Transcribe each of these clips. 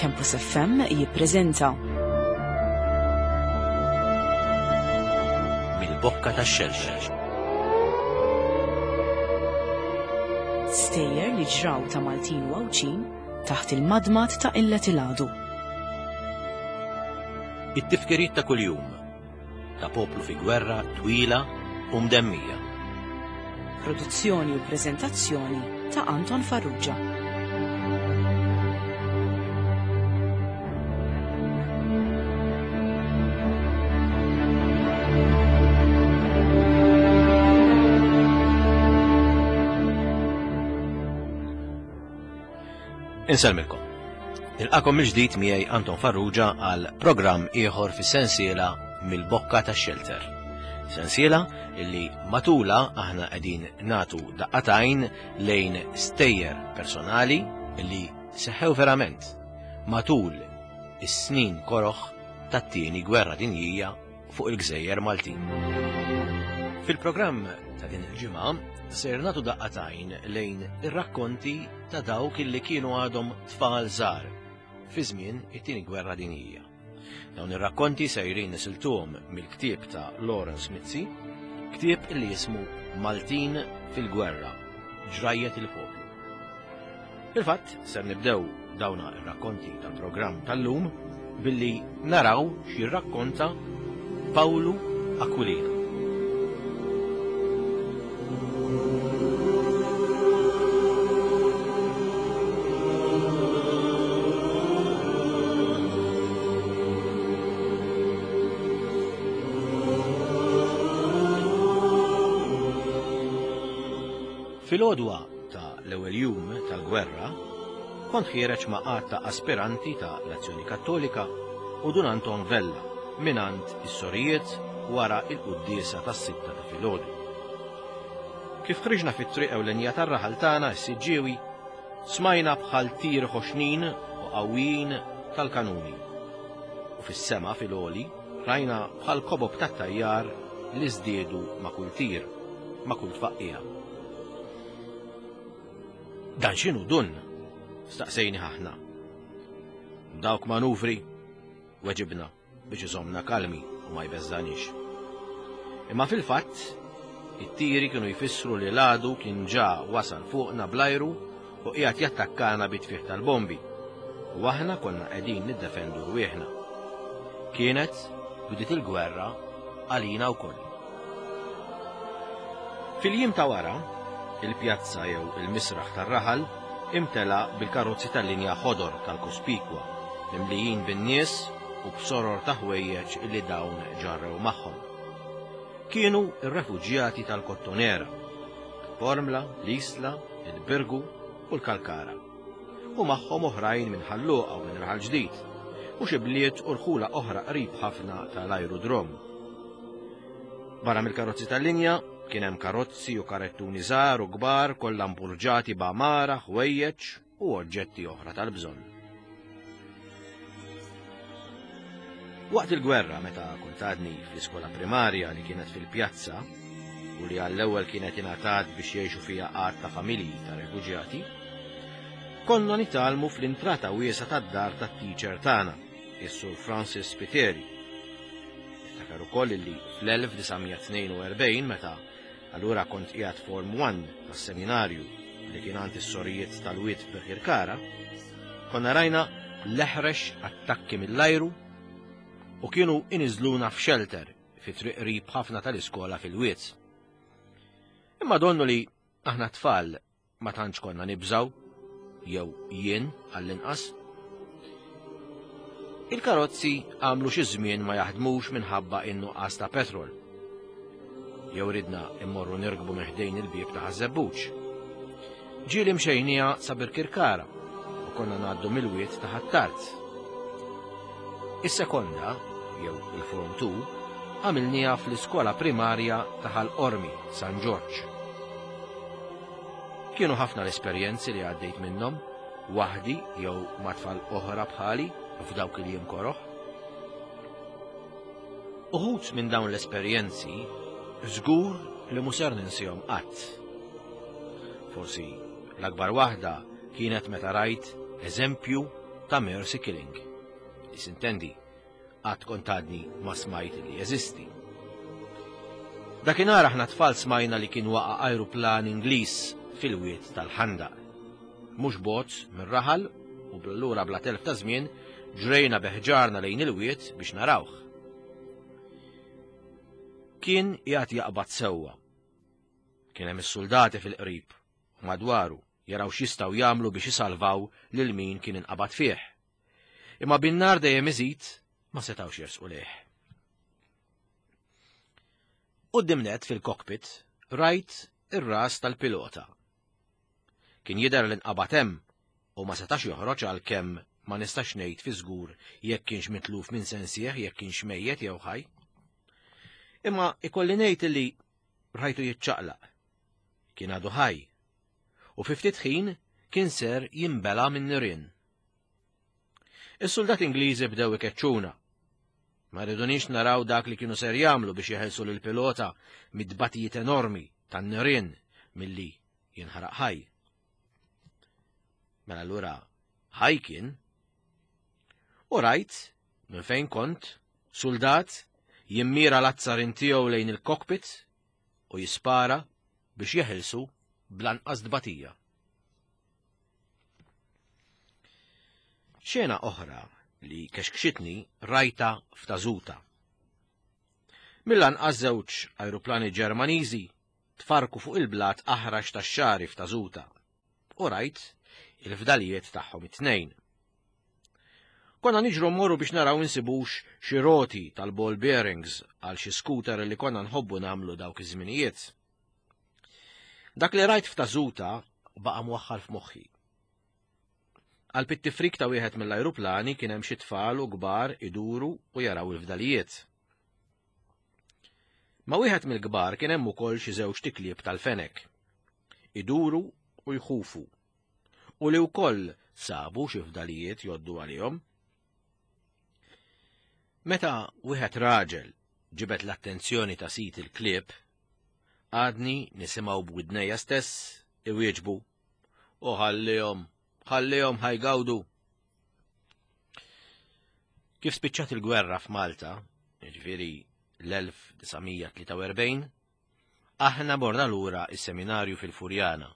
Campus FM jippreżenta Mill-bokka tax-xelxel. Stejjer li ġraw ta' Maltin u Għawdxin taħt il-madmad ta' illet il-għadu. It-tifkiriet ta' kuljum ta' poplu fi gwerra twila u mdemmija. Produzzjoni u preżentazzjoni ta' Anton Farrugia. Insellmilkom. Nilqakom mill-ġdid miegħi Anton Farrugia għal programm ieħor fis-sensiela mill-bokka tax-xelter. Sensiela illi matula aħna qegħdin natu daqqatajn lejn stejjer personali illi seħħew verament matul is-snin koroħ tat-tieni gwerra dinjija fuq il-gżejjer Maltin. Fil-programm ta' din il-ġimgħa ser nagħtu daqqatajn lejn ir-rakkonti ta' dawk illi kienu għadhom tfal żgħar fi żmien it-tieni gwerra dinjija. Dawn ir-rakkonti sejrin nisiltuhom mill-ktieb ta' Lawrence Mizzi, ktieb illi jismu Maltin fil-Gwerra, ġrajjet il-poplu. Fil-fatt, ser nibdew dawna ir-rakkonti tal-programm tal-lum billi naraw x'jirrakkonta Pawlu Aquilina. Fil-għodwa ta' l-ewwel jum tal-gwerra, kont ħiereġ ma' għadd ta' aspiranti ta' l-Azzjoni Kattolika u Dun Anton Vella mingħand is-sorijiet wara il-quddiesa tas-sitta ta' filgħodu. Kif ħriġna fit-triq ewlenija tar-raħal tagħna s-Siġġiewi, smajna bħal tir ħoxnin u qawwijin tal-kanuni. U fis-sema fil-għoli rajna bħal kobob tat-tajjar li żdiedu ma' kull tir, ma' kull tfaqqiegħa. Dan x'inhu dun? Staqsejni aħna. Dawk manuvri, weġibna biex iżommna kalmi u ma jbeżżanix. Imma fil-fatt, it-tiri kienu jfissru li l-għadu kien ġa wasal fuqna bl-ajru u qiegħed jattakkana bit-tfih tal-bombi. U aħna konna qegħdin niddefendu rwieħna. Kienet bdiet il-gwerra għalina wkoll. Fil-jiem ta' wara, il-pjazza jew il-misraħ tar-raħal imtela bil-karozzi tal-linja ħodor tal-Cospicua, mimlijin bin-nies u b'soror ta' ħwejjeġ li dawn ġarrew magħhom. Kienu r-refuġjati tal-Kottonera, il-Bormla, l-Isla, il-Birgu u l-Kalkara. U magħhom oħrajn minn Ħal Luqa u minn Raħal Ġdid, u xi bliet u rħula oħra qrib ħafna tal-ajrudrom. Barra mill-karozzi tal-linja kien hemm karozzi u karettuni żgħar u kbar kollha mpurġati b'għamara, ħwejjeġ u oġġetti oħra tal-bżonn. Waqt il-gwerra meta kont għadni fl-iskola primarja li kienet fil-pjazza u li għall-ewwel kienet ingħatat biex jgħixu fiha għadd ta' familji ta' refuġjati, konna nitgħallmu fl-intrata wiesgħa tad-dar tat-teacher tagħna, is-Sur Francis Spiteri. Niftakar ukoll li fl-1942 meta allura kont qiegħed Form 1 tas-seminarju li kien għand is-sorijiet tal-Wied f'Birkirkara, konna rajna l-eħrex attakki mill-ajru u kienu iniżluna f'shelter fi triq qrib ħafna tal-iskola fil-Wied. Imma donnu li aħna tfal Ma tantx konna nibżgħu, jew jien għall-inqas. Il-karozzi għamlu xi żmien ma jaħdmux minħabba in-nuqqas ta' petrol. Jew ridna immorru nirkbu minn ħdejn il-bieb ta' Ħaż-Żebbuġ. Ġieli mxejniha sa Birkirkara u konna ngħaddu mill-wied ta' Ħ'Attard. Is-sekonda, jew il-Form 2, għamilniha fl-iskola primarja ta' Ħal Qormi, San Ġorġ. Kienu ħafna l-esperjenzi li għaddejt minnhom, waħdi jew ma' tfal oħra bħali f'dawk il-jiem koroh. Uħud minn dawn l-esperjenzi żgur li mhu ser ninsihom qatt. Forsi l-akbar waħda kienet meta rajt eżempju ta' mercy killing. Li sintendi, qatt kont għadni ma smajt li jeżisti. Dakinhar aħna tfal smajna li kien waqa' ajruplan Ingliż fil-wied tal-Ħandaq. Mhux bogħod mir-raħal u bl-allura bla telf ta' żmien ġrejna beħġarna lejn il-wied biex narawh. Kien qiegħed jaqbad sewwa. Kien hemm is-suldati fil-qrib u madwaru jaraw x'jistgħu jagħmlu biex isalvaw lil min kien inqabad fih. Imma bin-nar dejjem iżid ma setgħux jersqu lejh. Quddiem nett fil-cockpit rajt ir-ras tal-pilota. Kien jidher li nqabad hemm u ma setax joħroġ għalkemm ma nistax ngħid fi żgur jekk kienx mitluf minn sensih jekk kienx mejjet jew ħaj. Imma ikolli ngħid li rajtu jiċċaqlaq. Kien għadu ħaj. U fi ftit ħin kien ser jinbela minn nirien. Is-suldati Ingliżi bdew ikeċċuna. Ma ridunix naraw dak li kienu ser jagħmlu biex jeħelsu lil pilota mid-dbatijiet enormi tan-nirien milli jinħaraq ħaj. Mela allura ħaj kien. U rajt minn fejn kont suldat jimmira l-azzarin tiegħu lejn il-cockpit u jispara biex jeħilsu bl-anqas tbatija. Xena oħra li kexkxitni rajta f'Tażuta. Mill-anqas żewġ ajruplani Ġermaniżi tfarku fuq il-blat aħrax tax-xagħri f'Tażuta u rajt il-fdalijiet tagħhom it-tnejn. Konna niġru mmorru biex naraw insibux xi roti tal-ball bearings għal xi scooter li konna nħobbu nagħmlu dawk iż-żminijiet. Dak li rajt f'Tażuta baqa' mwaħħal f'moħħi. Għal pittifrik ta' wieħed mill-ajruplani kien hemm xi tfal u kbar iduru u jaraw il-fdalijiet. Ma' wieħed mill-kbar kien hemm ukoll xi żewġ tiklieb tal-fenek. Iduru u jħufu. U li wkoll sabu xi fdalijiet joddu għalihom. Meta wieħed raġel ġibed l-attenzjoni ta' sid il-klieb, Għadni nisimgħu b'widnejja stess iwieġbu, U ħallihom, ħallihom ħa jgawdu. Kif spiċċat il-gwerra f'Malta, jiġifieri l-1943, aħna morna lura is-seminarju fil-Furjana,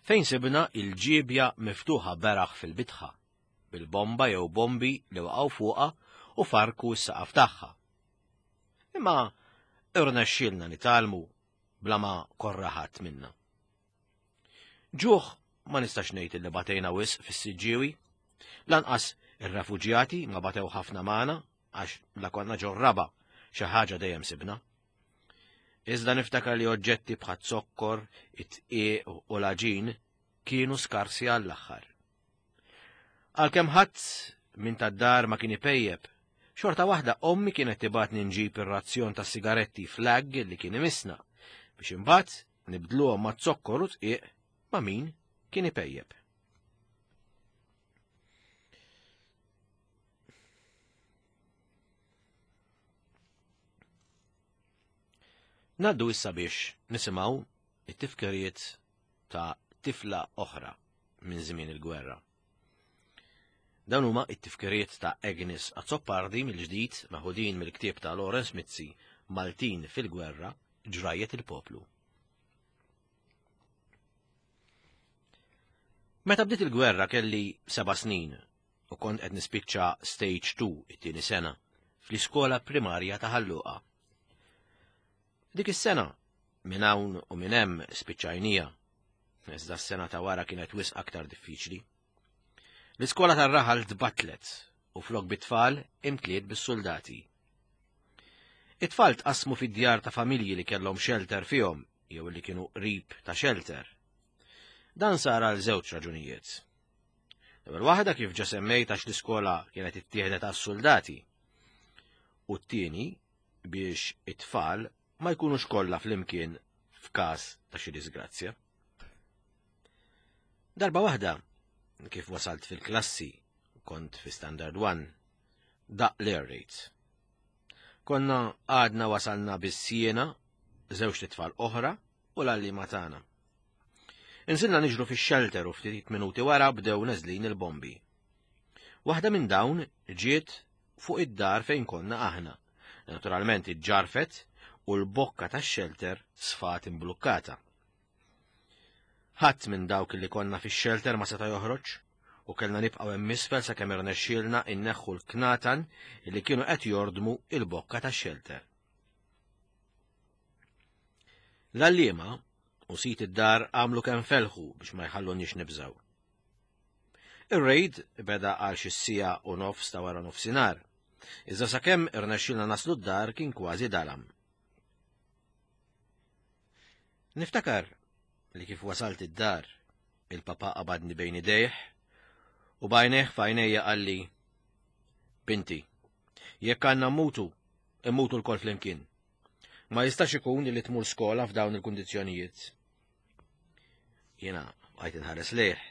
fejn sibna il-ġiebja miftuħa beraħ fil-bitħa, bil-bomba jew bombi li waqgħu fuqha u farku s-saqaf tagħha. Imma irnexxielna nitgħallmu bla ma korra ħadd minna. Ġuħ ma nistax ngħid li batejna wisq fis-Siġġiewi. Lanqas ir-refuġjati ma batew ħafna magħna għax la konna ġorraba xi ħaġa dejjem sibna. Iżda niftakar li oġġetti bħat zokkor, it-tqiq u l-għaġin kienu skarsi għall-aħħar. Għalkemm ħadd minn tad-dar ma kien ipejjep, xorta waħda ommi kienet tibgħatni nġib ir-razzjon ta' sigaretti flag li kien imissna biex imbagħad nibdluhom ma' zokkor u tqiq ma' min kien ipejjep. Naddu issa biex nisimgħu it-tifkiriet ta' tifla oħra minn żmien il-gwerra. Dawn huma it-tifkiriet ta' Agnes Azzopardi mill-ġdid maħudin mill-ktieb ta' Lawrence Mizzi Maltin fil-Gwerra, Ġrajjet il-Poplu. Meta bdiet il-gwerra kelli seba' snin u kont qed nispiċċa stage 2 it-tieni sena fl-iskola primarja ta' Ħal Luqa. Dik is-sena, minn hawn u minn hemm spiċċajnija. Iżda s-sena ta' wara kienet wisq aktar diffiċli. L-iskola tar-raħal tbattlet u flok bit-tfal imtliet bis-suldati. It-tfal tqassmu fid-djar ta' familji li kellhom xelter fihom jew li kienu qrib ta' xelter. Dan sar għal żewġ raġunijiet. L-ewwel waħda kif ġa semmejt għax l-iskola kienet ittieħdet għas-suldati. U t-tieni biex it-tfal ma jkunux kollha flimkien f'każ ta' xi disgrazzja. Darba waħda, kif wasalt fil-klassi, kont fi Standard 1, daq l-air raids. Konna għadna wasalna bis-siena, żewġ tfal oħra u l-għalliema tagħna. Inżilna niġru fix-shelter u ftit minuti wara bdew neżlin il-bombi. Waħda minn dawn ġiet fuq id-dar fejn konna aħna. Naturalment iġġarfet u l-bokka tax-xelter sfat imblukkata. Ħadd minn dawk li konna fix-xelter ma seta' joħroġ u kellna nibqgħu hemm isfel sakemm irnexxielna inneħħu l-knatan li kienu qed jordmu il-bokka tax-xelter. L-għalliema u sit id-dar għamlu kemm felħu biex ma jħalluniex nibżgħu. Ir-raid beda għal xi siegħa u nofs ta' wara nofsinhar. Iżda sakemm irnexxielna naslu d-dar kien kważi dalam. Niftakar li kif wasalt id-dar, il-papa qabadni bejn idejh u b'għajnejh f'għajnejja qalli, Binti, jekk għandna mmutu, immutu lkoll flimkien. Ma jistax ikun li tmur skola f'dawn il-kundizzjonijiet. Jiena bqajt inħares lejh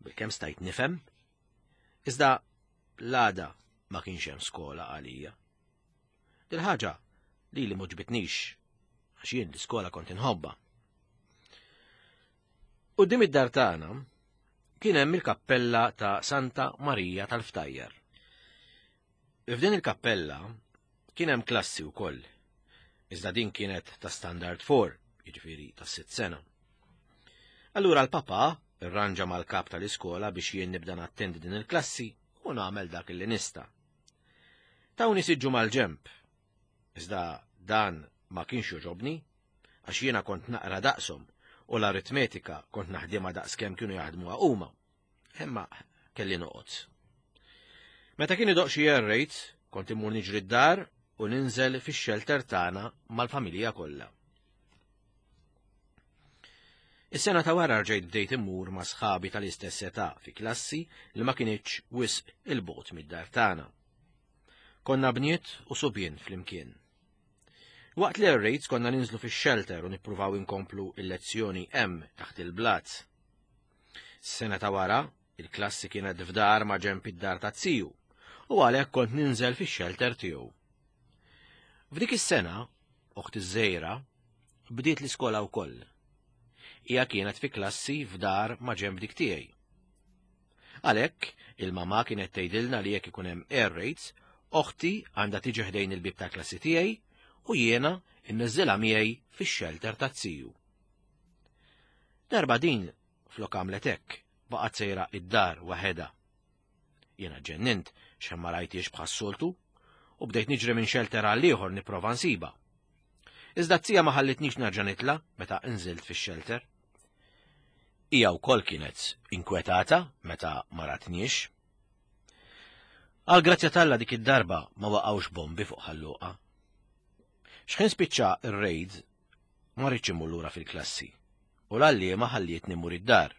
bilkemm stajt nifhem. Iżda l-għada ma kienx hemm skola għalija. Dil-ħaġa li li m'għoġbitnix għax jien l-iskola kont inħobba. Quddiem id-dar tagħna kien hemm il-kappella ta' Santa Marija tal-Ftajjar. F'din il-kappella kien hemm klassi wkoll. Iżda din kienet ta' Standard 4, jiġifieri ta' sitt sena. Allura l-papa irranġa mal-kap tal-iskola biex jien nibda nattendi din il-klassi u nagħmel dak li nista'. Tawni siġġu mal-ġemp. Iżda dan ma kienx joġobni, għax jiena kont naqra daqshom u l-aritmetika kont naħdimha daqskemm kienu jaħdmuha huma. Imma kelli noqgħod. Meta kien idoq xi air raid, kont immur niġri d-dar u ninżel fix-xelter tagħna mal-familja kollha. Is-sena ta' wara rġejt bdejt immur ma' sħabi tal-istess età fi klassi li ma kinitx wisq il-bogħod mid-dar tagħna. Konna bniet u subien flimkien. Waqt l-air raids konna ninżlu fix-shelter u nippruvaw inkomplu il-lezzjoni hemm taħt il-blat. Sena ta' wara, il-klassi kienet f'dar ma' ġenb id-dar ta' ziju u għalhekk kont ninżel fix-shelter tiegħu. F'dik is-sena, oħti żgħira bdiet l-iskola wkoll. Hija kienet fi klassi f'dar ma' ġenb dik tiegħi. Għalhekk, il-mamà kienet tgħidilna li jekk ikun hemm air raids, oħti għandha tiġi ħdejn il-bieb tal-klassi tiegħi u jiena nniżżilha miegħi fix-xelter taz-ziju. Darba din flok għamlet hekk, baqgħet sejra id-dar waħedha. Jiena ġennint x'hemm ma rajtiex bħas-soltu u bdejt niġri minn xelter għal ieħor nipprova nsibha. Iżda t-tija ma ħallitnix nerġa' nitla' meta nżilt fix-xelter. Hija wkoll kienet inkwetata meta ma ratniex. Għal grazzja t'Alla dik id-darba ma waqgħux bombi fuq Ħal Luqa. X'ħin spiċċa r-raid ma rridx immur lura fil-klassi u l-għalliema ħallietni mmur id-dar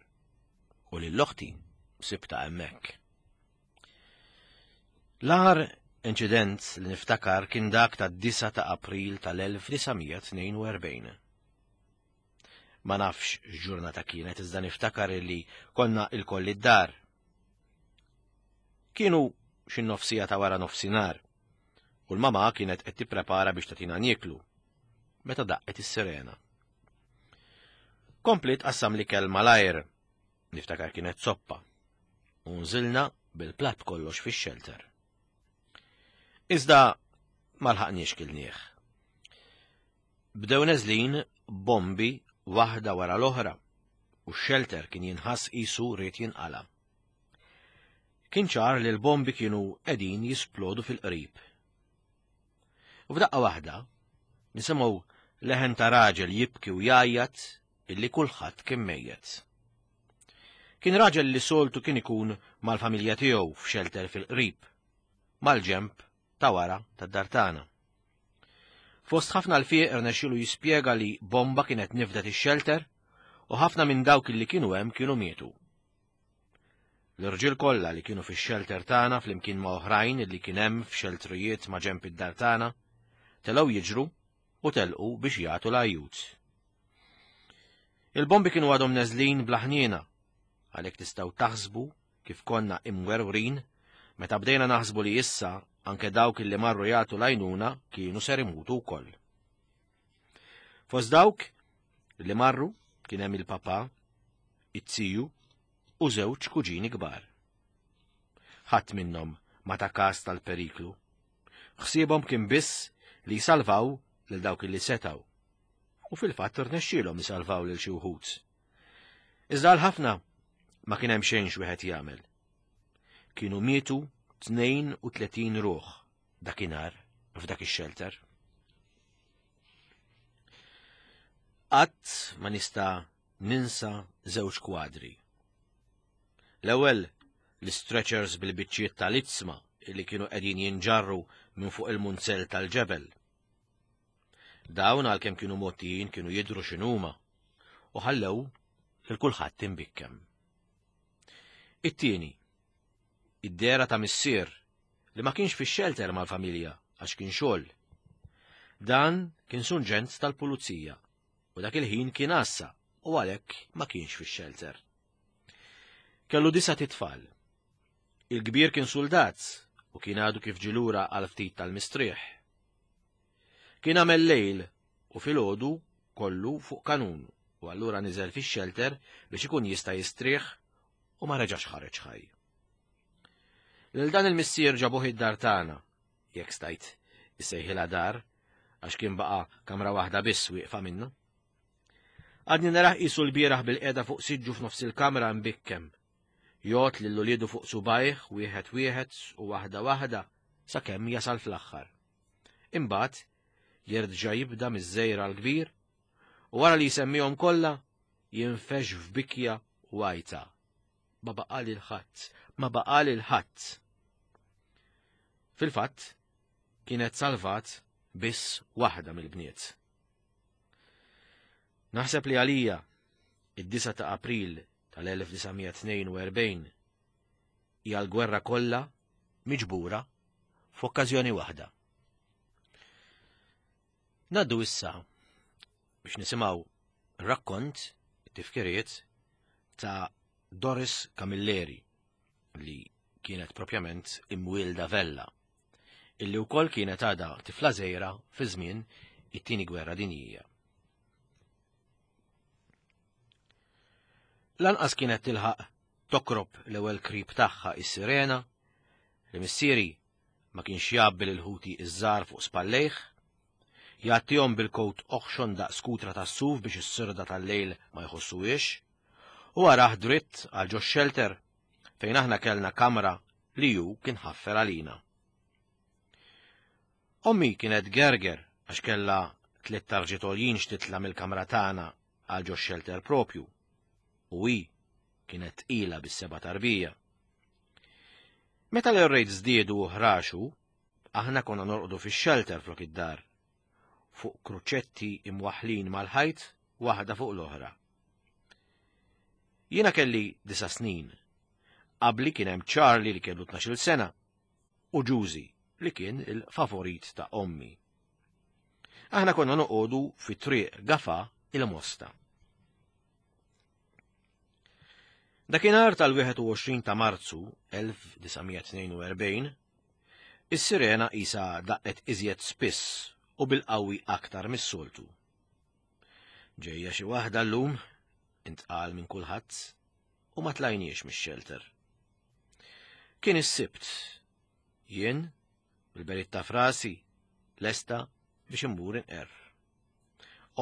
u lil oħti sibta hemmhekk. L-agħar inċident li niftakar kien dak tad-9 ta' April tal-1942. Ma nafx x'ġurnata kienet iżda niftakar li konna ilkoll id-dar. Kienu xi nofsija ta' wara nofsinhar u l-mama kienet qed tipprepara biex tagħtina nieklu meta daqqet is-sirena. Kompliet qassam l-ikel malajr, niftakar kienet soppa, u nżilna bil-platt kollox fix-xelter. Iżda ma lħaqniex kilnieh. Bdew neżlin bombi waħda wara l-oħra u x-xelter kien jinħass qisu ried jinqala'. Kien ċar li l-bombi kienu qegħdin jisplodu fil-qrib. U f'daqqa waħda, nisimgħu leħen ta' raġel jibki u jgħajjat illi kulħadd kien mejjet. Kien raġel li soltu kien ikun mal-familja tiegħu f'xelter fil-qrib, mal-ġenb ta' wara tad-dar tagħna. Fost ħafna l-fieq irnexxielu jispjega li bomba kienet nifdet ix-xelter u ħafna minn dawk li kienu hemm kienu mietu. L-irġiel kollha li kienu fix-xelter tagħna flimkien ma' oħrajn li kien hemm f'xeltrijiet ma' ġenb id-dar tagħna, telgħu jiġru u telqu biex jagħtu l-għajjut. Il-bombi kienu għadhom neżlin bla ħniena, għalhekk tistgħu taħsbu kif konna imwerwrin meta bdejna naħsbu li issa anke dawk li marru jagħtu l-għajnuna kienu ser imutu wkoll. Fost dawk li marru kien hemm il-papà, it-tiju u żewġ kuġini kbar. Ħadd minnhom ma ta kas tal-periklu. Ħsiebhom kien biss li jsalvaw lil dawk li setgħu. U fil-fatt rnexxielhom isalvaw lil xi wħud. Iżda għal ħafna ma kien hemm xejn x'wieħed jagħmel. Kienu mietu 32 ruħ dakinhar f'dak ix-xelter. Qatt ma nista' ninsa żewġ kwadri. L-ewwel l-stretchers bil-biċċiet tal-itzma li kienu qegħdin jinġarru minn fuq il-munzell tal-ġebel. Dawn għalkemm kienu mgħottijin kienu jidhru x'inhuma u ħallew lil kulħadd imbikkem. It-tieni, id-dehra ta' missier li ma kienx fix-xelter mal-familja għax kien xogħol. Dan kien sunġent tal-pulizija u dak il-ħin kien għassa u għalhekk ma kienx fix-xelter. Kellu disa titfal. Il-kbir kien suldat u kien għadu kif ġilura għal ftit tal-mistrieħ. Kien għamel lejl u filgħodu kollu fuq kanun u allura niżel fix-xelter biex ikun jista' jistrieħ u ma reġax ħareġ ħaj. Lil dan il-missier ġabuh id-dar tagħna, jekk stajt issejħilha dar, għax kien baqa' kamra waħda biss wieqfa minnu. Għadni narah qisu l-bieraħ bil-qiegħda fuq siġġu f'nofs il-kamra mbikkem. Jgħod lil uliedu fuq subajh wieħed wieħed u waħda waħda sakemm jasal fl-aħħar. Imbagħad jerġa' jibda miż-żgħir għall-kbir u wara li jsemmihom kollha jinfex f'bikja u għajta. Ma baqa' lil ħadd, ma baqa' lil ħadd. Fil-fatt, kienet salvat biss waħda mill-bniet. Naħseb li għalija, id-9 ta' April tal-1942 hija l-gwerra kollha miġbura f'okkażjoni waħda. Naddu issa biex nisimgħu rakkont tifkiriet ta' Doris Camilleri li kienet propjament imwielda Vella illi wkoll kienet għadha tifla żgħira fi żmien it-Tieni Gwerra Dinjija. Lanqas kienet tilħaq tokrob l-ewwel krib tagħha is-sirena li missieri ma kienx jgħabbi lil ħuti iż-żgħar fuq spallejh, jgħattihom bil-kowt oħxon daqs kutra tas-suf biex is-sirda tal-lejl ma jħossuhiex, u arah dritt għal ġo xelter fejn aħna kellna kamra li hu kien ħaffer għalina. Ommi kienet gerger għax kellha tliet tarġiet għoljin x'titla' mill-kamra tagħna għal ġo xelter propju u hi kienet tqila bis-seba' tarbija. Meta l-rejt żdiedu u ħraxu, aħna konna norqdu fix-xelter flok id-dar, fuq kruċetti imwaħħlin mal-ħajt waħda fuq l-oħra. Jiena kelli disa' snin. Qabli kien hemm Charlie li kellu 12-il sena u Ġużi li kien il-favorit ta' ommi. Aħna konna noqogħdu fi triq Gafa il-Mosta. Dakinhar tal-21 ta' Marzu 1942, is-sirena qisha daqqet iżjed spiss u bil-qawwi aktar mis-soltu. Ġejja xi waħda llum, intqal minn kulħadd, u ma tlajniex mix-xelter. Kien is-Sibt. Jien, bil-beritta frasi, lesta biex immur inqerr.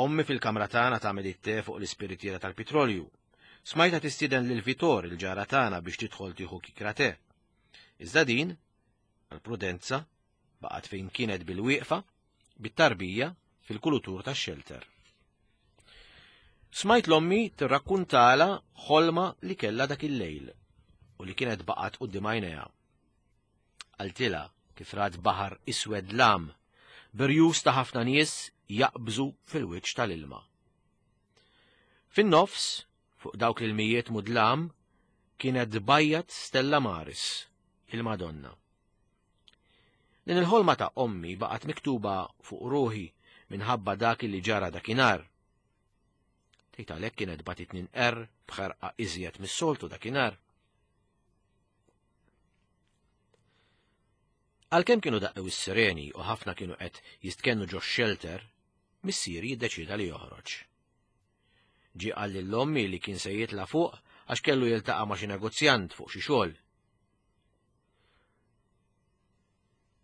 Ommi fil-kamra tagħna tagħmel it-te fuq l-ispiritiera tal-pitrolju. Smajta tistieden lil Vitor il-ġara tagħna biex tidħol tieħu kikra te. Iżda din, għal-prudenza, baqgħet fejn kienet bil-wieqfa, bit-tarbija fil-kulutur tax-xelter. Smajt l-ommi tirrakkuntala ħolma li kellha dak il-lejl u li kienet baqgħet quddiem għajnejha. Qaltilha kif rat baħar iswed lam, birjus ta' ħafna nies jaqbżu fil-wiċċ tal-ilma. Fin-nofs, fuq dawk l-ilmijiet mudlam, kienet tbajjat Stella Maris, il-Madonna. Din il-ħolma ta' ommi baqgħet miktuba fuq ruħi minħabba dak li ġara dakinhar. Tgħid għalhekk kienet bagħtitni ninqerr b'ħerqa iżjed mis-soltu dakinhar. Għalkemm kienu daqqew is-sireni u ħafna kienu qed jistkennu ġo xelter, missieri jiddeċida li joħroġ. Ġie qal lil ommi li kien se jitla' fuq għax kellu jiltaqa' ma' xi negozjant fuq xi xogħol.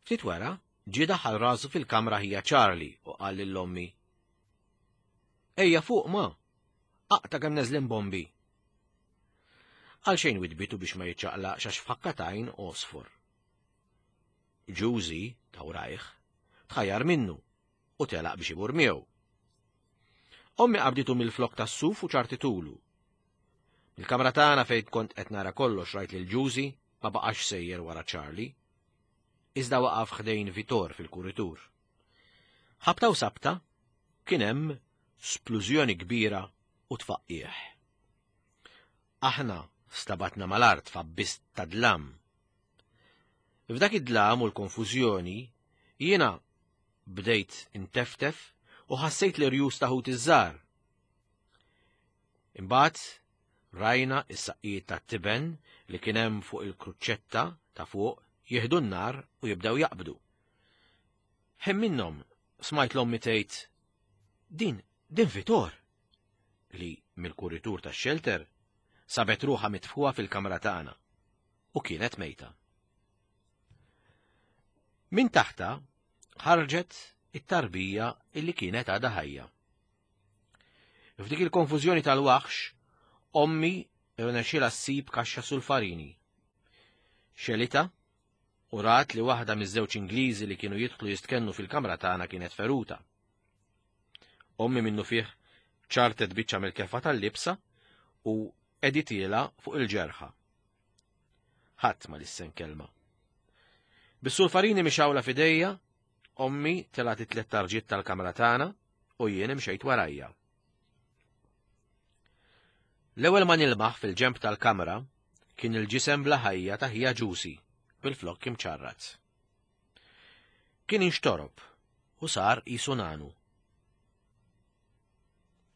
Ftit wara, ġie daħal rasu fil-kamra ħija Charlie u qal lil ommi. Ejja fuq ma! Aqta' kemm neżlin bombi! Għal xejn widbitu biex ma jiċċaqlaqx għax f'ħakka t'għajn għosfor. Ġużi, ta' wrajh, tħajjar minnu u telaq biex imur miegħu. Ommi qabditu mill-flok tas-suf u ċartitulu. Mill-kamra tagħna fejn kont qed nara kollox rajt lil Ġużi ma baqax sejjer wara Charlie. Iżda waqaf ħdejn Vitor fil-kuritur. Ħabta u sabta kien hemm splużjoni kbira u tfaqqigħ. Aħna stabatna mal-art f'abbist ta' dlam. F'dak id-dlam u l-konfużjoni jiena bdejt inteftef u ħassejt l-irjus ta' ħuti ż-żgħar. Imbagħad rajna s-saqqijiet tat-tiben li kien hemm fuq il-kruċċetta ta' fuq jieħdu n-nar u jibdew jaqbdu. Ħin minnhom smajt l-ommi tgħid din din Vitor li mill-kuritur tax-xelter sabet ruħha mitfuha fil-kamra tagħna u kienet mejta. Min taħta ħarġet it-tarbija illi kienet għadha ħajja. F'dik il-konfużjoni tal-waħx, ommi rnexxielha ssib kaxxa sulfarini. Xelita u rat li waħda miż-żewġ Ingliżi li kienu jidħlu jistkennu fil-kamra tagħna kienet feruta. Ommi minnu fih ċartet biċċa mill-kefa tal-libsa u editiela fuq il-ġerħa. Ħadd ma lissen kelma. Bis-sulfarini mixawla f'idejja, ommi telgħet it-tlet tarġiet tal-kamra tagħna u jien imxejt warajja. L-ewwel ma nilmaħ fil-ġenb tal-kamra kien il-ġisem bla ħajja ta' ħija ġusi bil-flokk imċarrat. Kien inxtorob u sar qisu nanu.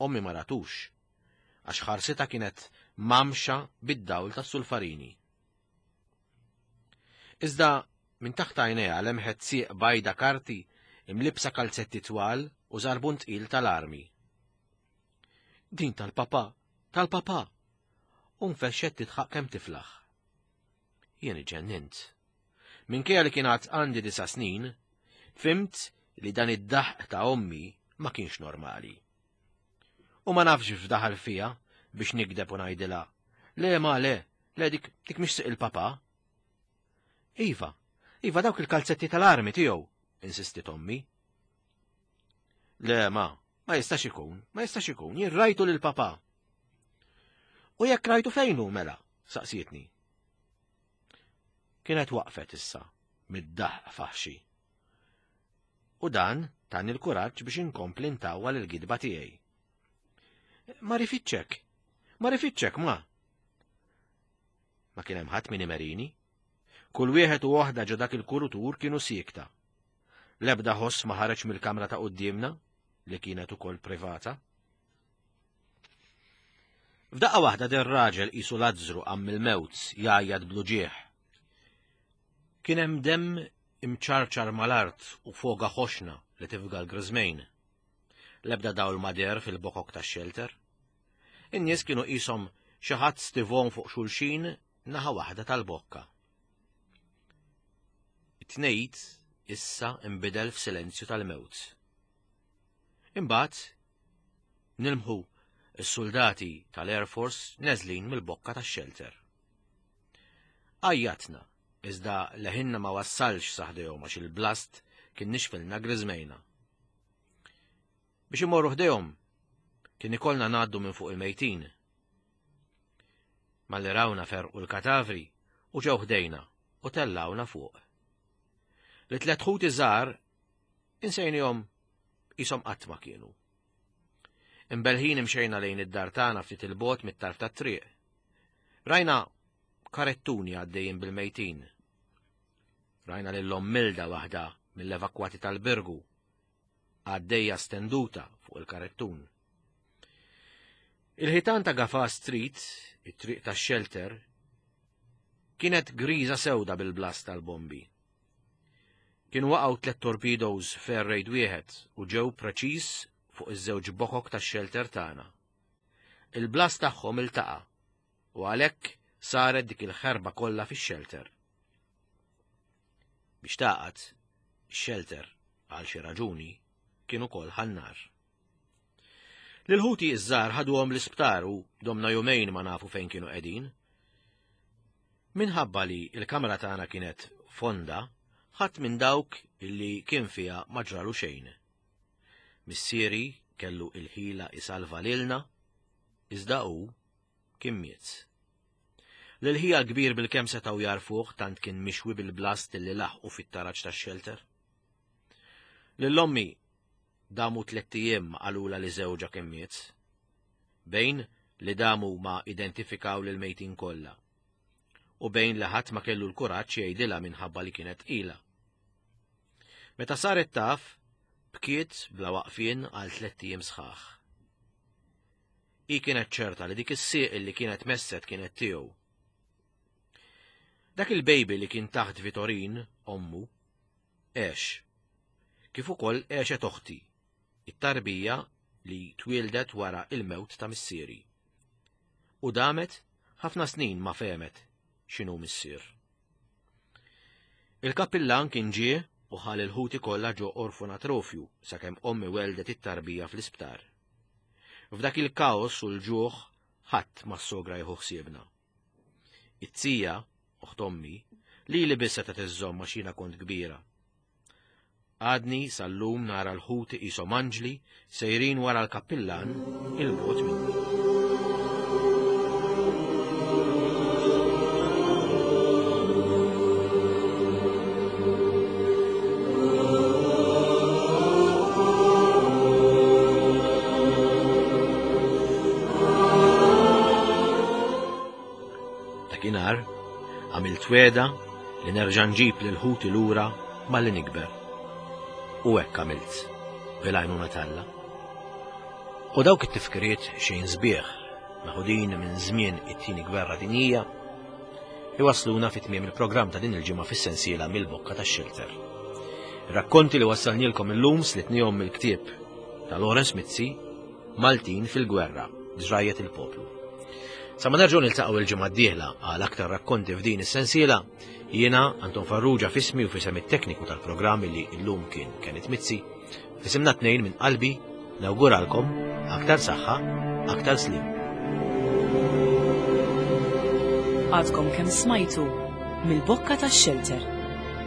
Ommi ma ratux għax ħarsitha kienet mamxa bid-dawl tas-sulfarini. Iżda minn taħt għajnejha lemħet sieq bajda karti imlibsa kalzetti twal u żarbun tqil tal-armi. Din tal-papa, tal-papa! U nfexxet tidħaq kemm tiflaħ. Jien iġġennint. Minkejja li kien għad għandi disa' snin, fimt li dan id-daħq ta' ommi ma kienx normali. U ma nafx f'daħal fija biex nikdeb u ngħidilha, le ma le, le dik dik mhix siq il-papa. Iva, iva dawk il-kalzetti tal-armi tiegħu, insistit ommi. Le ma, ma jistax ikun, ma jistax ikun, jien rajtu lil papa. U jekk rajtu fejn hu mela, saqsietni. Kienet waqfet issa, mid-daħq faħxi. U dan tani l-kuraġġ biex inkompli ntawwal il-gidba tiegħi. Ma rifiċċek, ma rifiċċek ma. Ma kien hemm ħadd min imerini. Kull wieħed u waħda ġo dak il-kurutur kienu siekta. L-ebda ħoss ma ħareġ mill-kamra ta' quddiemna, li kienet ukoll privata. F'daqqa waħda der raġel qisu Lazzru qam mill-mewt jgħajjat bl-uġigħ. Kien hemm demm imċarċar mal-art u foga ħoxna li tifga l-griżmejn. L-ebda dawl ma deher fil-bokok tax-xelter. In-nies kienu qishom xi ħadd stivhom fuq xulxin naħa waħda tal-bokka. It-tnejt issa nbidel f'silenzju tal-mewt. Imbagħad nilmħu s-suldati tal-Air Force neżlin mill-bokka tax-xelter. Għajjatna, iżda leħinna ma wassalx sa ħdejhom għax il-blast kien nixfilna griżmejna. Biex imorru ħdejhom, kien ikollna ngħaddu minn fuq il-mejtin. Malli rawna ferqu l-katavri u ġew ħdejna u tellgħuna fuq. Li tlet ħuti żgħar insejnihom qishom qatt ma kienu. Imbelħin imxejna lejn id-dar tagħna ftit il-bogħod mit-tarf tat-triq. Rajna karettuni għaddejjin bil-mejtin. Rajna lil Milda waħda mill-evakwati tal-Birgu għaddejja stenduta fuq il-karettun. Il-ħitan ta' Gafa Street, it-triq tax xelter, kienet griża sewda bil-blast tal-bombi. Kienu waqgħu tlet torpedoes f'air raid wieħed u ġew preċiż fuq iż-żewġ bokok tax-xelter tagħna. Il-blast tagħhom iltaqa' u għalhekk saret dik il-ħerba kollha fix-xelter. Biex tagħqad, ix-xelter, għal xi raġuni, kien ukoll ħa n-nar. Lil ħuti ż-żgħar ħaduhom l-isptar u domna jumejn ma nafu fejn kienu qegħdin. Minħabba li l-kamra tagħna kienet fonda, ħadd minn dawk illi kien fiha ma ġralu xejn. Missieri kellu il-ħila isalva lilna, iżda hu kien miet. Lil ħija l-kbir bilkemm setgħu jagħrfuh tant kien mixwi bil-blast li laħqu fit-taraġ tax-xelter. Lil ommi damu tlett ijiem ma qalulha li żewġha kien miet. Bejn li damu ma identifikaw lill-mejtin kollha. U bejn li ħadd ma kellu l-kuraġġ jgħidilha minħabba li kienet tqila. Meta saret taf, bkiet bla waqfien għal tlett ijiem sħaħ. Hi kienet ċerta li dik is-sieq li kienet messet kienet tiegħu. Dak il-baby li kien taħt Vitorin, ommu, għex. Kif ukoll għexet oħti, it-tarbija li twieldet wara il-mewt ta' missieri. U damet ħafna snin ma fehmet x'inhu missier. Il-kappillan kien ġie u ħa lil ħuti kollha ġo orfonatrofju sakemm ommi weldet it-tarbija fl-isptar. F'dak il-kaos u l-ġuħ ħadd ma ssogra jieħu ħsiebna. It-tija, oħt ommi, lili biss setgħet iżżomm għax jiena kont kbira. Għadni sal-lum nara l-ħuti qishom anġli sejrin wara l-kappillan 'il bogħod minni. Dakinhar għamilt wegħda li nerġa' nġib lil ħuti lura malli nikber. U hekk għamilt, bil-għajnuna t'Alla. U dawk it-tifkiriet xejn sbieħ, meħudin minn żmien it-Tieni Gwerra Dinjija, iwassluna fi tmiem il-programm ta' din il-ġimgħa fis-sensiela mill-bokka tax-xelter. Ir-rakkonti li wassalnielkom illum slitnihom mill-ktieb ta' Lawrence Mizzi, Maltin fil-Gwerra, Ġrajjet il-Poplu. Sa ma nerġgħu niltaqgħu il-ġimgħa d-dieħla għal aktar rakkonti f'din is-sensiela, jiena Anton Farrugia f'ismi u f'isem it-tekniku tal-programm li llum kien Kenneth Mizzi, f'isimna tnejn minn qalbi nawguralkom aktar saħħa, aktar sliem. Għadkom kemm smajtu mill-bokka tax-xelter.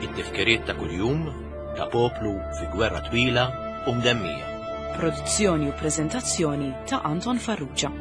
It-tifkiriet ta' kuljum ta' poplu fi gwerra twila u mdemmija. Produzzjoni u preżentazzjoni ta' Anton Farrugia.